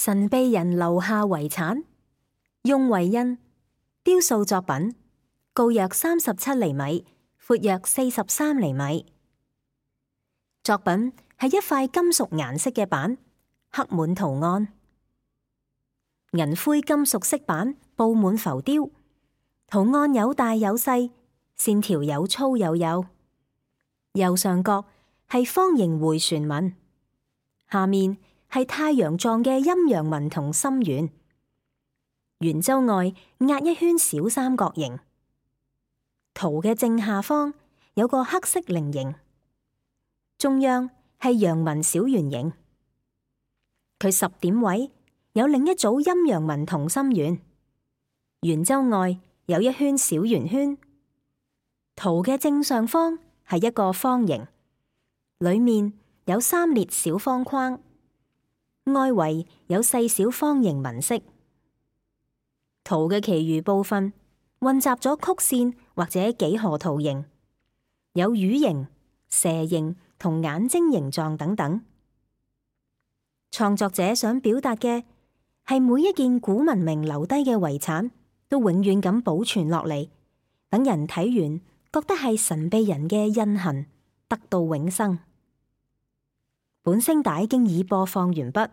神秘人留下遺產，用為印，雕塑作品，高約37厘米，闊約43厘米。作品係一塊金屬顏色嘅板，刻滿圖案。銀灰金屬色板布滿浮雕，圖案有大有細，線條有粗有幼。右上角係方形迴旋紋，下面係太陽狀嘅陰陽紋同心圓。圓周外壓一圈小三角形。圖嘅正下方有個黑色菱形，中央係陽紋小圓形。佢10點位有另一組陰陽紋同心圓。圓周外有一圈小圓圈。圖嘅正上方係一個方形，裏面有3列小方框，外圍有細小方形紋飾。圖嘅其餘部分混雜咗曲線或者幾何圖形，有魚形、蛇形同眼睛形狀等等。創作者想表達嘅係每一件古文明留低嘅遺產都永遠咁保存落嚟，等人睇完覺得係神秘人嘅印痕，得到永生。本聲帶經已播放完畢。